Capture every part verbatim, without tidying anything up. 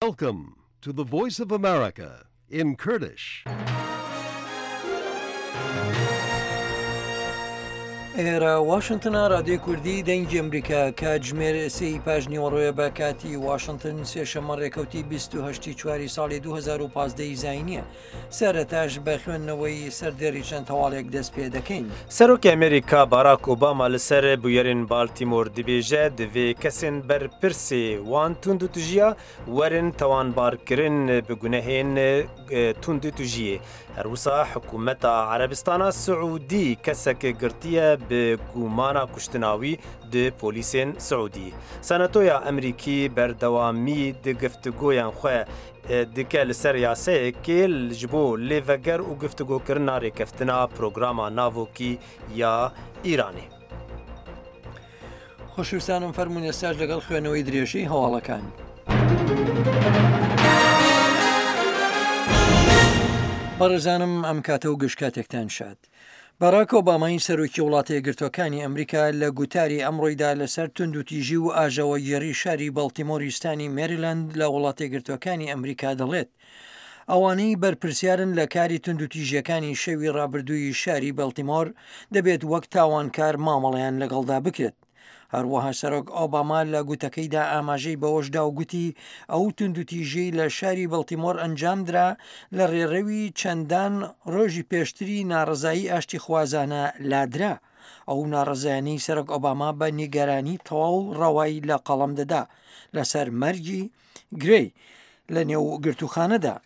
Welcome to the Voice of America in Kurdish. ئێرە واشنتنە، رادیۆی کوردی دەنگی ئەمریکا. کاتژمێر سێی پاش نیوەڕۆیە بە کاتی واشنتن، سێشەممە ڕێکەوتی بیست و هەشت ی چواری ساڵی دوو هەزار و پازدە ی زاینیە. سەرەتاش بە خوێندنەوەی سەردێڕی چەند هەواڵێک دەست پێ دەکەین. سەرۆکی ئەمریکا باراک ئۆباما لەسەر بویەرên بالتیمۆر دبێژە divê kesên berpirsê wan tundûtûjiya werin tawanbarkirin bi gunehên tundûtûjiyê. Her wisa hikûmeta Erebistana Siûdî kesek girtiye bi gumana kuştina wî di polîsên Siûdî. Senatoya Amerîkî berdewamî di giftigoyan xwe dike li ser yasayekê ji bo lêveger û giftigokirina rêkeftina programa navokî ya Îranê. خۆشویستانم فەرمونون ئێستاش لەگەڵ خوێنەوەی درێژەی هەواڵەکان. بەڕێزانم ئەم کاتە و گشت کاتێکتان شاد. باراک ئۆبامای سەرۆکی وڵاتە یەکگرتووەکانی ئەمریکا لە گوتاری ئەمڕۆیدا لەسەر توندوتیژی و ئاژاوەگێڕی شاری بەڵتیمۆری ستانی مێریلاند لە وڵاتە یەکگرتووەکانی ئەمریکا دەڵێت ئەوانەی بەرپرسیارن لە کاری توندوتیژیەکانی شەوی ڕابردووی شاری بەڵتیمۆر دەبێت وەک تاوانکار مامەڵەیان لەگەڵدا بکرێت. هەروەها سەرۆک ئۆباما لە گوتەکەیدا ئاماژەی بەوەشدا و گوتی ئەو توندوتیژیەی لە شاری بەڵتیمۆر ئەنجامدرا لە ڕێڕەوی چەندان ڕۆژی پێشتری ناڕەزایی ئاشتیخوازانە لادرا. ئەو ناڕەزایانەی سەرۆک ئۆباما بە نیگەرانی تەواو ڕەوای لە قەڵەم دەدا لەسەر مەرگی گرەی لە نێو گرتوخانەدا.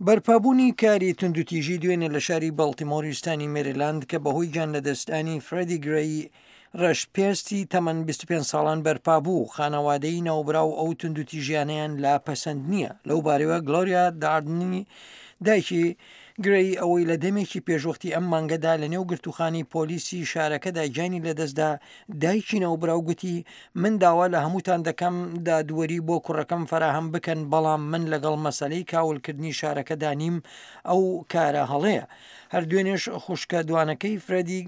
بەرپابوونی کاری توندوتیژی دوێنێ لە شاری بەڵتیمۆری ستانی مێریلاند کە بەهۆی گیان لەدەستدانی فرێدی گرەی ڕەشپێستی تەمەن بیست و پێنج ساڵان بەرپا بوو، خانەوادەی ناوبراو ئەو توندوتیژیانەیان لا پەسەند نییە. لەو بارەوە گلۆریا داردنی دایکی گرەی ئەوەی لە دەمێکی پێشوەختی ئەم مانگەدا لە نێو گرتوخانی پۆلیسی شارەکەدا گیانی لەدەستدا، دایکی ناوبراو گوتی من داوا لە هەمووتان دەکەم دادوەری بۆ کوڕەکەم فەراهەم بکەن، بەڵام من لەگەڵ مەسەلەی کاولکردنی شارەکەدا نیم، ئەو کارە هەڵەیە. هەر دوێنێش خوشکە دوانەکەی فرێدی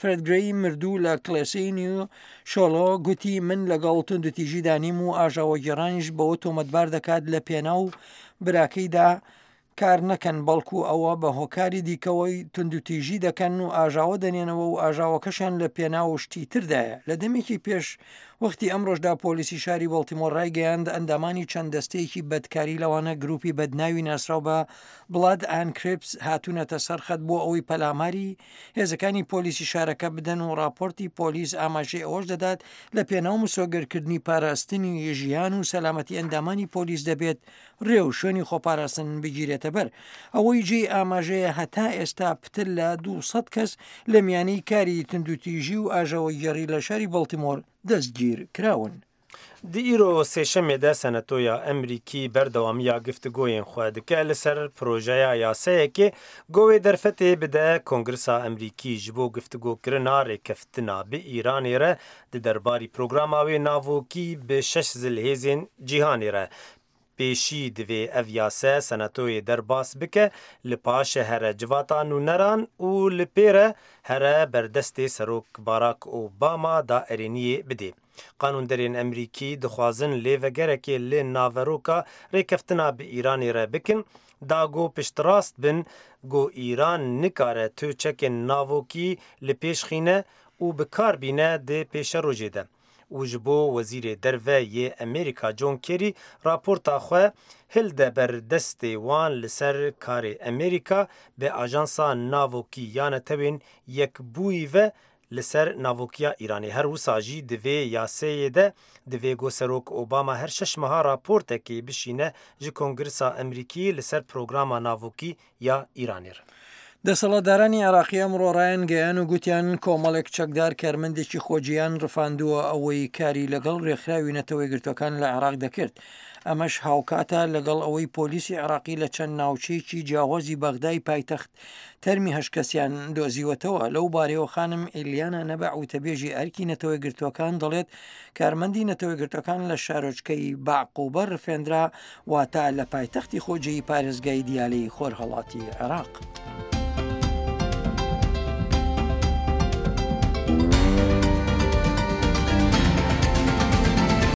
فرێد گرەی مردوو لە کڵێسەی نیو شۆڵۆ گوتی من لەگەڵ توندوتیژیدا نیم و ئاژاوەگێڕانیش بەوە تۆمەتبار دەکات لە پێناو براکەیدا کار نەکەن، بەڵکو ئەوە بە هۆکاری دیکەوەی توندوتیژی دەکەن و ئاژاوە دەنێنەوە و ئاژاوەکەشیان لە پێناو شتی تردایە. لە دەمێکی پێش وەختی ئەمڕۆژدا پۆلیسی شاری بەڵتیمۆر ڕایگەیاند ئەندامانی چەند دەستەیەکی بەدکاری لەوانە گروپی بەدناوی ناسراو بە بڵاد ئان کرپس هاتوونەتە سەرخەت بۆ ئەوەی پەلاماری هێزەکانی پۆلیسی شارەکە بدەن و راپۆرتی پۆلیس ئاماژەی ئەوەش دەدات لە پێناو مسۆگەرکردنی پاراستنی ژیان و سەلامەتی ئەندامانی پۆلیس دەبێت ڕێ و شوێنی خۆپاراستن بگیرێتە بەر. ئەوەی جێی ئاماژەیە هەتا ئێستا پتر لە دووسەد کەس لە میانەی کاری توندوتیژی و ئاژاوەگێڕی لە شاری بەڵتیمۆر دەستگیر کراون. Di îro sêşemê de Senatoya Amerîkî berdewamiya giftigoyên xwe dike li ser projeya yasayekê govê derfetê bide Kongresa Amerîkî ji bo giftigokirina rêkeftina bi Îranê re di derbarî programa wê navokî bi şeş zilhêzên cîhanê re. Pêşî divê ev yase senatoyê derbas bike li paşê here civata nûneran û li pê re here berdestê Serok Barack Obama da erêniyê bidê. Qanûnderên Amerîkî dixwazin lêvegerekê li naveroka rêkeftina bi Îranê re bikin, da ku piştrast bin ku Îran nikare tu çekên navokî li pêş xîne û bi kar bîne di pêşerojê de. û ji bo Wezîrê Derve yê Amerîka John Kerry raporta xwe hilde ber destê wan li ser karê Amerîka bi ajansa navokî ya Netewên Yekbûyî ve li ser navokiya Îranê. Her wisa jî divê yaseyê de divê ku Serok Obama her şeş meha raportekê bişîne ji Kongresa Amerîkî li ser programa navokî ya Îranê re. دەسەڵاتدارانی عێراقی ئەمڕۆ ڕایانگەیان و گوتیان کۆمەڵێک چەکدار کارمەندێکی خۆجییان ڕفاندووە ئەوەی کاری لەگەڵ ڕێکخراوی نەتەوەیەکگرتووەکان لە عێراق دەکرد. ئەمەش هاوکاتە لەگەڵ ئەوەی پۆلیسی عێراقی لە چەند ناوچەیەکی جیاوازی بەغدای پایتەخت تەرمی هەشت کەسیان دۆزیوەتەوە. لەو بارەیەوە خانم ئیلیانا نەبع وتەبێژی ئەرکی نەتەوەیەکگرتووەکان دەڵێت کارمەندی نەتەوەیەکگرتووەکان لە شارۆچکەی باعقوبە ڕفێندرا، واتە لە پایتەختی خۆجێی پارێزگای دیالەی خۆرهەڵاتی عێراق.